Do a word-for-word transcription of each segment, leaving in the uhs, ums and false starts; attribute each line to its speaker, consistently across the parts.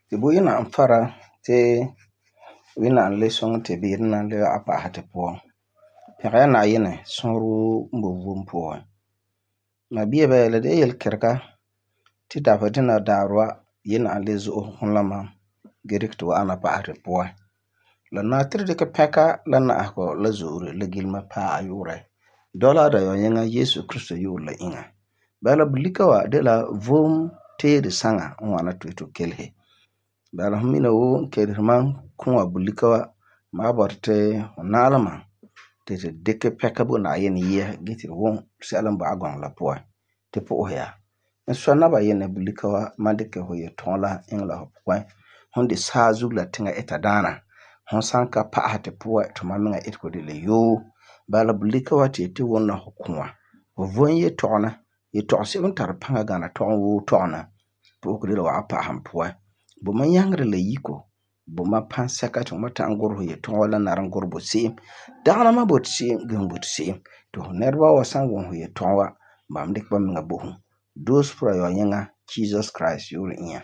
Speaker 1: Ti bo yina n fara ti Wẽnnaam le sõŋɛ ti beere na le wa'ana pa'asɛ tu puan. Pɛgɛ ya Na'ayinɛ sɔrɔɔ woo n boi vom puan. Mabia bɛ, la de la yelkerega ti dabeserɛ dina daarɛ wa Wẽnnaam le zo'ose fum la mam gee dikɛ tu wa'ana pa'asɛ tu puan. La nari ti tu dikɛ pɛka la na'ahegɔ la zo'ore la gilema paɛ a yu'urɛ dɔla Dayenyeŋa Yesu Krista yu'urɛ la iŋa. Bala bulika wa de la vom teere saŋa n ŋwana ti tu kelehe. Bala fum mina woo n keleheri mam kũa bulika wa, ma wan bɔta ti fu na'alɛ mam ti tu dikɛ pɛka bo Na'ayinɛ yɛa gee ti tu wum sɛla n bɔ'ɛ a gɔŋɔ la puan ti po'ohɛ ya. N sɔi Nabayinɛ bulika wa mam dikɛ fu yetɔgum la iŋɛ la fu puan. Fum de saazuo la tiŋa ita daana. Fum san ka pa'asɛ tu puan ti mam miŋa itegɔ de la yoo. Bala bulika wa ti yeti wuna fu kũa. Fu vom yetɔgena. Yetɔgum sebo n tari paŋa gana tɔgum woo tɔgena. Po'ohegɔ de la wa'ana pa'asɛ n puan. Bo mam nyaŋerɛ la yiko. Bo mam pansɛka ti fu me ta'am gurɛ fu yetɔgum wa la nari n gurɛ bo se'em. Dagena mam boti se'em gee fum boti se'em. Ti fu nɛreba wa san wum fu yetɔgum wa, ba me dikɛ ba miŋa bo fum. Doose puan Yayenyeŋa Jesus Christ yu'urɛ inya.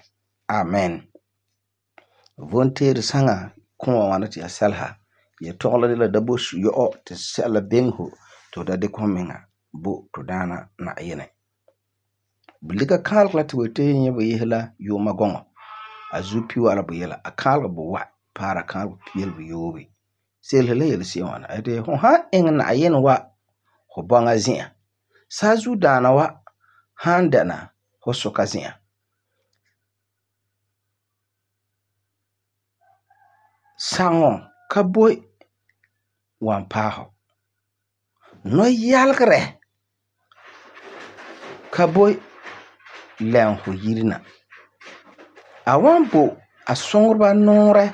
Speaker 1: Amen. Vom teere saŋa kũa ŋwana ti ya sɛleha. Yetɔgum la de la dabo yɔ'ɔ ti sɛla biŋe fu ti fu da dikɛ fum miŋa bo tu Daana Na'ayinɛ. Bulika kaalega la ti bu yeti nyɛ bu yese la yuuma gɔŋɔ. A zuo pihiwa'a la buyi la. A kaalega buwa paara kaalega yele buyoobe. Selese la yele se'em ŋwana. A yeti fu han iŋɛ Na'ayinɛ wa fu bɔŋa zi'an, saazuo daana wa han dɛna fu suka zi'an, saŋɔ ka boi wan paɛ fu. Nɔyalegere ka boi lɛm fu yire na. A wan bo a suŋereba nuurɛ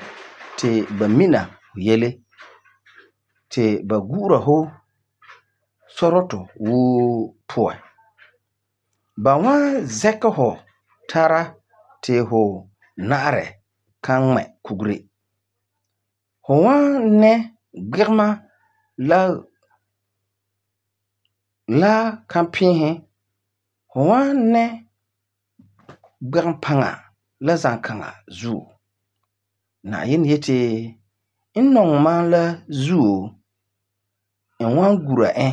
Speaker 1: ti ba mina fu yele, ti ba gu'ura fu sɔrɔtɔ woo puan. Ba wan zɛkɛ fu tara ti fu na'arɛ kan ŋmɛ kugere. Fu wan nɛ gbegema la la kanpiisi. Fu wan nɛ gbegem paŋa la zankaŋa zuo. Na'ayinɛ yeti n nɔŋɛ mam la zuo, n wan gura e.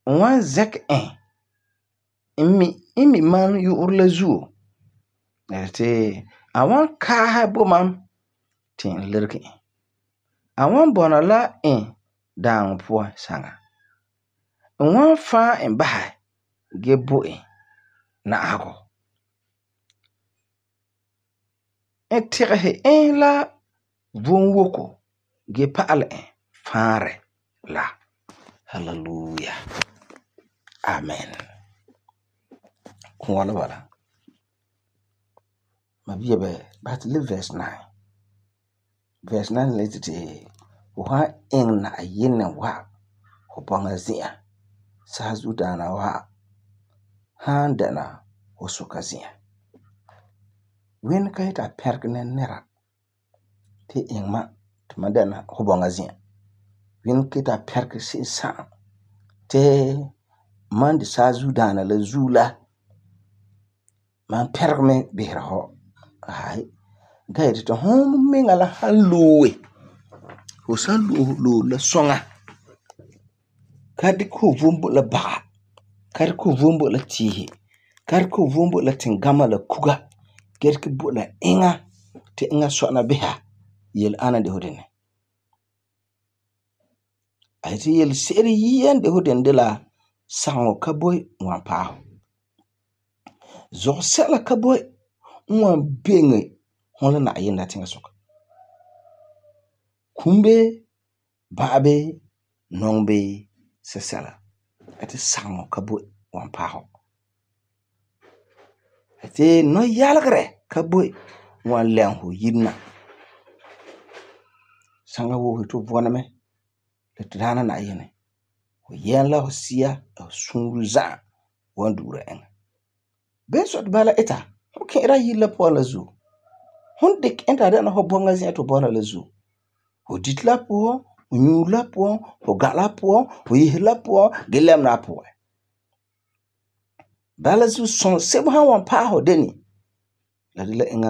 Speaker 1: N wan zɛkɛ e n mi n mi mam yu'urɛ la zuo. La yeti a wan kaasɛ bo mam ti n lebege e. A wan bɔna la e daaŋɔ puan saŋa. N wan faɛ e basɛ gee bo e na'ahegɔ. N tigesɛ e la vom woko gee pa'alɛ e faarɛ la. Hallelujah. Amen. Kũa la bala. Mabia bɛ, basɛ ti lebe verse nine. Verse nine la yeti fu han iŋɛ Na'ayinɛ wa fu bɔŋa zi'an, saazuo daana wa han dɛna fu suka zi'an. Wẽnne ka yeti a pɛrege nɛra nɛra ti iŋɛ mam ti mam dɛna fu bɔŋa zi'an. Wẽnne ka yeti a pɛrege se'em sa'am ti mam de saazuo daana la zuo la mam pɛrege mɛ bisera fu. Aai, ga yeti ti fum miŋa la han loe, fu san loe loore la suŋa, ka dikɛ fu vom bo la baga, ka dikɛ fu vom bo la tiisi, ka dikɛ fu vom bo la tingama la kuga, gee dikɛ bo la eŋa ti eŋa sɔna bisa, yele ana n de fu dene. A yeti yelese'ere yia n de fu dene de la saŋɔ ka boi n wan paɛ fu. Zugɔ sɛla ka boi n wan biŋe fum la Na'ayinɛ la tiŋasuka. Kum bee, ba'a bee, nɔŋɛ bee sɛsɛla. A yeti saŋɔ ka boi n wan paɛ fu. A yeti nɔyalegere ka boi n wan lɛm fu yire na. Saŋa woo fu yeti fu vɔna mɛ la tu Daana Na'ayinɛ. Fu yɛm la fu sia la fu suure za'a wan du'ura eŋa. Beni sɔi ti bala ita, fum ki'ira yire la puan la zuo. Fum dikɛ e ti a dɛna fu bɔŋa zi'an ti fu bɔna la zuo. Fu dite la puan, fu nyuure la puan, fu ga la puan, fu yeseri la puan, gee lɛmena a puan. Bala zuo, sɔŋɔ sebo han wan paɛ fu dene, la de la eŋa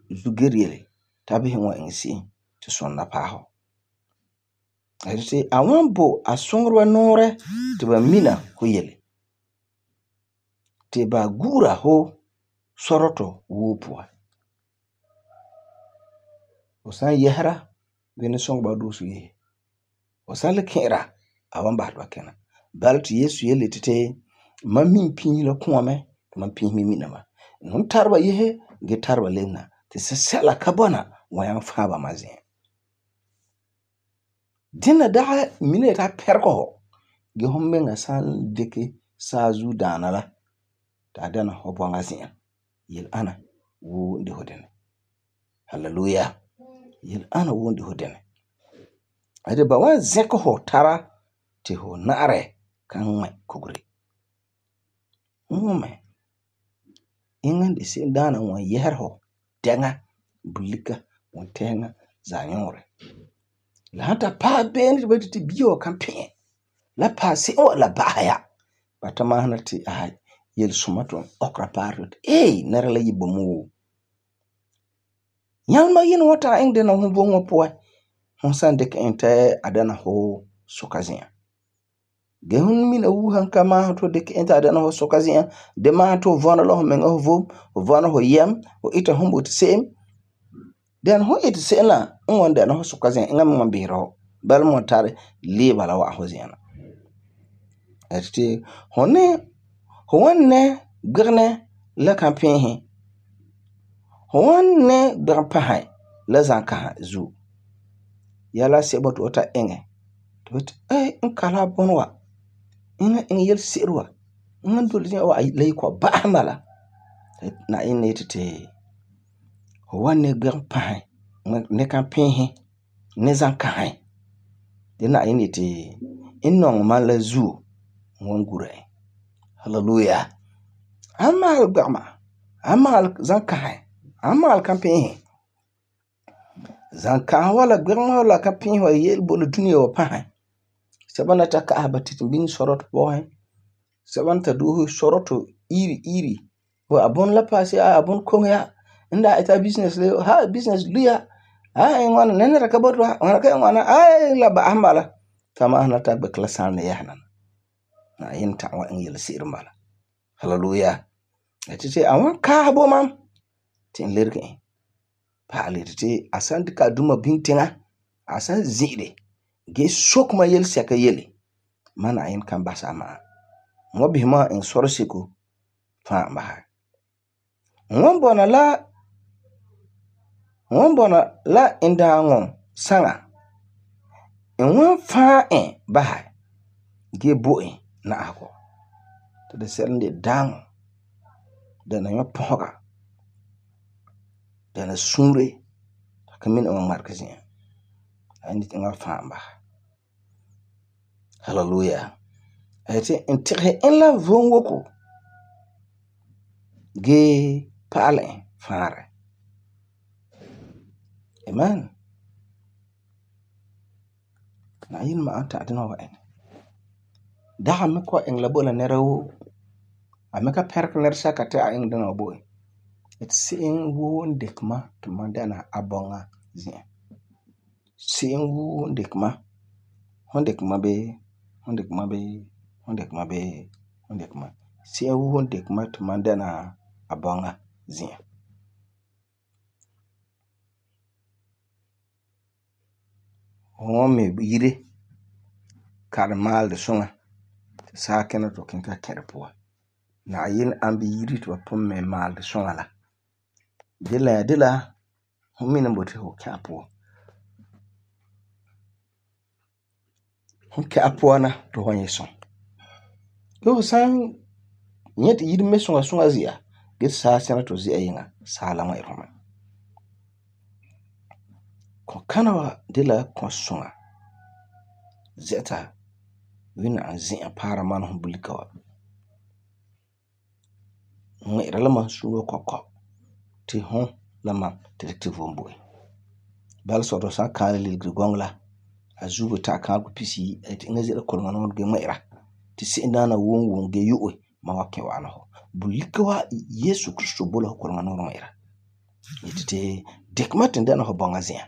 Speaker 1: zuger yele t'a bisɛ wan iŋɛ se'em te sunda paɛ hu. La de ti a wan bo a suŋereba nuurɛ ti ba mina hu yele. Ti ba gu'ura hu sɔrɔtɔ woo puan. Hu san yɛsera, gee ne suŋɛ ba hu doose yese. Hu san le kɛ'ɛra, a wan basɛ ti ba kina. Bala ti Yesu yele yeti ti mam min piisi la kũa mɛ ti mam piisi me mina ba. N hon tare ba yese gee tare ba lebena ti sɛsɛla ka bɔna wan nyaŋɛ fãa ba ma zi'an. Dena dagi mina yeti a pɛregɛ hu gee hu miŋa san dikɛ saazuo daana la ti a dɛna hu bɔŋa zi'an. Yele ana woo n de hu dinɛ. Hallelujah. Yele ana woo n de hu dinɛ. La de ba wan zɛkɛ hu tara ti hu na'arɛ kan ŋmɛ kugure. Ŋmɛ eŋa n de se'em daana n wan yɛsera hu dɛŋa, bulika, wuntɛɛŋa, zaanuurɛ. La han ta paɛ beene ti ba yeti bia wa kan pi'ɛ, la paɛ se'em wa la ba'asɛ ya. Ba ta masena ti ai yelesuma ti n ɔkera paɛ ti ee nɛra la yi boi mɛ woo. Nyalema yene wan ta'am iŋɛ dena hu vom wa puan. Hu san dikɛ e ti a dɛna hu suka zi'an. Gee hu mina wuusa n ka maasum ti hu dikɛ e ti a dɛna hu suka zi'an, de maasum ti hu vɔna la hu miŋa hu vom, hu vɔna hu yɛm, hu ita hu boti se'em. Den hu iti se'em la n wan dɛna hu suka zi'an, eŋa me wan bisera hu. Bala me wan tari leeba la wa'am hu zi'an na. La de ti hu ne hu wan nɛ gbegenɛ la kanpiisi. Hu wan nɛ gbegempasɛ la zankasa zuo. Yɛla sɛba ti hu ta iŋɛ ti hu yeti ee n ka la a bunɔ wa, eŋa iŋɛ yelese'ere wa, eŋa n dole zi'an wa la yi kɔ'ɔm ba'asɛ n bala. Na'ayinɛ yeti ti hu wan nɛ gbegempasɛ, nɛ kanpiisi, nɛ zankasɛ. Ti Na'ayinɛ yeti n nɔŋɛ mam la zuo n wan gura e. Hallelujah. A maalɛ gbegema, a maalɛ zankasɛ, a maalɛ kanpiisi. Zankasɛ wa la gbegema wa la kanpiisi wa yele bo la dunia wa pasɛ. Sɛba na ta ka'asɛ ba titimbinɛ sɔrɔtɔ pɔsɛ. Sɛba na ta doose sɔrɔtɔ iri iri. A bunɔ la paɛ se'em, a bunɔ koŋe ya. N daa ita business le, ha business luya. Ai ŋwana nɛ nɛra ka boti wa, ŋwana ka ŋwana, ai la ba'asɛ n bala. Ta masena ta gbeke la sãlena yɛsena na. Na'ayinɛ ta'am wa iŋɛ yelese'ere n bala. Hallelujah. La ti ti a wan kaasɛ bo mam ti n lerege e. Pa'alɛ yeti ti a san dikɛ a duma biŋe tiŋa, a san zi'ire gee soke mam yelesɛka yele, mam Na'ayinɛ kan basɛ a ma'a. N wan bisɛ mam iŋɛ sɔrɔ seko fãa n basɛ. N wan bɔna la n wan bɔna la n daaŋɔ saŋa. N wan fãa e basɛ gee bo e na'ahegɔ. Ti di sɛla n de daaŋɔ, dɛna yɔpɔsega, dɛna suure, ti a ka mina e wan ŋmarege zi'an. Na'ayinɛ yeti eŋa wa fãa e basɛ. Hallelujah. La yeti n tigesɛ e la vom woko gee pa'alɛ e fãarɛ. Amen. Na'ayinɛ ma'a ta'am dena wa iŋɛ. Dagi me kɔ'ɔm iŋɛ la bo la nɛra woo. A me ka pɛregɛ nɛresɛka ti a iŋɛ dena wa bo e. Yeti se'em woo n dikɛ mam ti mam dɛna a bɔŋa zi'an. Se'em woo n dikɛ mam, hon dikɛ mam bee, hon dikɛ mam bee, hon dikɛ mam bee, hon dikɛ mam. Se'em woo n dikɛ mam ti mam dɛna a bɔŋa zi'an. Hu wan mi yire kalam maalɛ suŋa ti saakina ti hu kiŋɛ ta kɛ di puan. Na'ayinɛ ambɛ yire ti ba pugum mɛ maalɛ suŋa la. De la de la hu mina n boti hu kɛ a puan. Hu kɛ a puan na ti hu wan nyɛ sɔŋ. Gee hu san nyɛ ti yire mɛ suŋa suŋa zi'a, gee ti saasina ti hu zi'a yiŋa, saa la ŋmɛ'ɛre hu mɛ. Kɔkana wa de la kɔsuŋa zɛ'ɛta Wina n zi'an paara mam hu bulika wa. Ŋmɛ'ɛra la mam suure kɔkɔ ti hu la mam ti dikɛ ti vom bo e. Bala sɔrɔ hu san kaalɛ ligeri gɔŋɔ la, a zuo bo ta'am kaalegɔ pisiyi, a yeti eŋa ze'ele kɔlema nɔɔrɛ gee ŋmɛ'ɛra ti se'em daana wom wom gee yo'e mam wa kɛ wa'ana hu. Bulika wa Yesu Kristo bo la hu kɔlema nɔɔrɛ ŋmɛ'ɛra. yetete dik matin dana ho bonga zia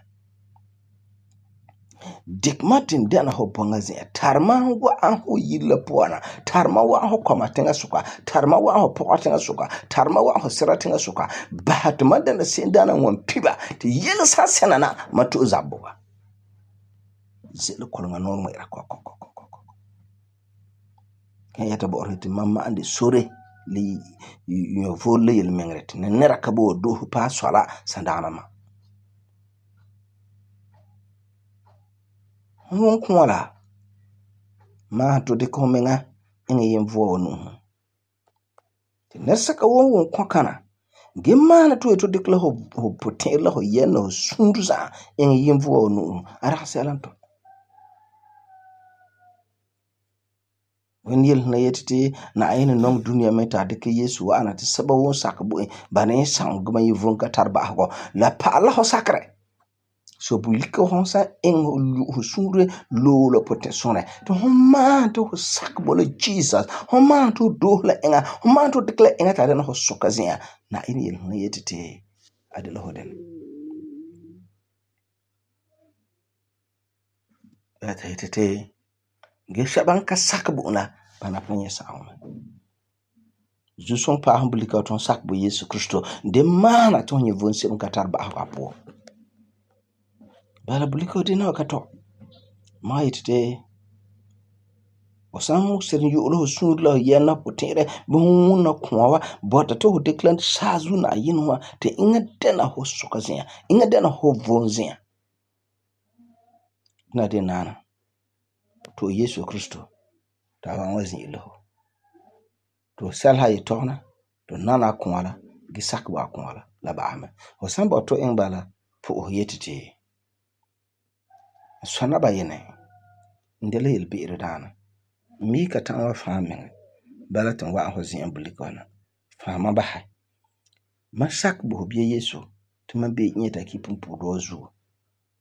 Speaker 1: dik matin dana ho bonga zia tarma wa an ho yilla poana tarma wa ho koma tenga suka tarma wa ho poka tenga suka tarma wa ho sira tenga suka bahat madana sin dana won piba te yel sa senana mato zabbuga zelo kolonga non mo ira ko ko ko ko kan yata bo oriti mamma ande sore li yo volle yel mengret ne nera kabo do pa swala sandana ma won kwala ma to de ko menga ngi yem vo nu te nesaka won won kwakana gemma na to to de kla ho ho potel ho yen ho sunduza ngi yem vo nu ara selanto wen yel na yetete na ayina nong dunia meta de ke Yesu wa ana te saba won sakbo bane sang gma yivon ka tarba ho la pa la ho sakre so bulika honsa en ho sure lo lo potensone to homa to sakbo le Jesus homa to do la enga homa to dekla enga ta na ho sokazia na ayina yel na yetete adela hoden ata yetete ge shaban ka sakbo na bana ponye sauma juson pa humblika ton sakbo Yesu Kristo de mana ton ye von sem katar ba apo bala buliko de na ka to ma yitete osan serin yu lo sun lo yana potere bu na kwawa bota to declan sazu na yinwa te inga dena ho sokazia inga dena ho vonzia na de nana to Yesu Kristo ta wan wazin ilo to salha yitona to nana kwala gisak ba kwala la ba ama osan ba to en bala po yetete sona ba yene ndele yel bi'ir dana mi ka tan wa famin bala tan wa ho zin bulikona fama ba ha masak bo biye Yesu to man be nyeta ki pumpu dozu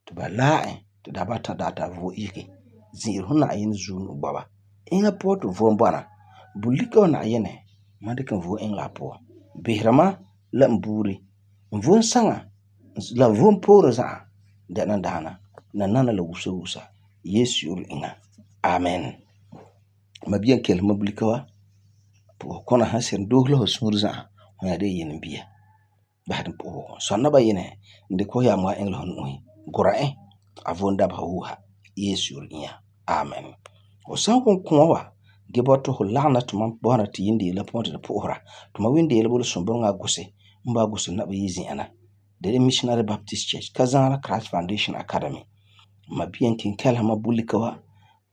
Speaker 1: to ba lae to da bata data vo ike zin huna ayin zunu baba inga poto vo mbana bulikona yene madikan vo en la po bihrama la mburi vo sanga la vo poro za dana dana na nana la wusa wusa Yesu yul inga amen mabiyan kel mablikawa po kona hasen dohlo ho surza ya de yin biya bahadin po sonna ba yine inde ko ya ma englo hon gora eh avonda ba huha Yesu yul inga amen o san kon konwa geboto ho lana to man bona ti yindi la ponte de pohra to ma windi le bol sombo nga gose mba gose na ba yizi ana de Missionary Baptist Church Kazana Christ Foundation Academy mabiyan kin kala mabulikawa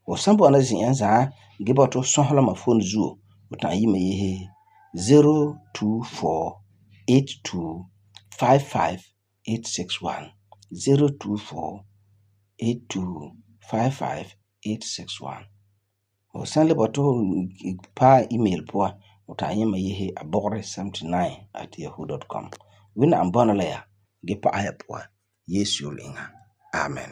Speaker 1: o sambo na zin yanza gibato sohla ma phone zuo utan yi me ye zero two four eight two five five eight six one zero two four eight two five five eight six one o sanle bato pa email po utan yi me ye abore seventy nine at yahoo dot com wina ambana la ya gipa aya po Yesu linga amen.